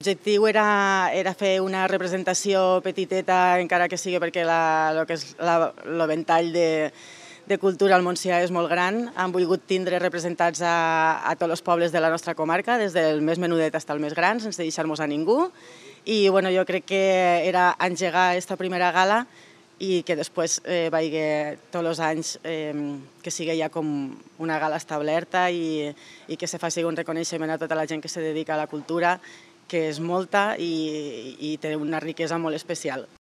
L'objectiu era fer una representació petiteta, encara que sigui perquè el ventall de cultura al Montsià és molt gran. Han volgut tindre representats a tots els pobles de la nostra comarca, des del més menudet fins al més gran, sense deixar-nos a ningú. I jo crec que era engegar aquesta primera gala i que després vagi tots els anys que sigui ja com una gala establerta i que se faci un reconeixement a tota la gent que se dedica a la cultura, que és molta i té una riquesa molt especial.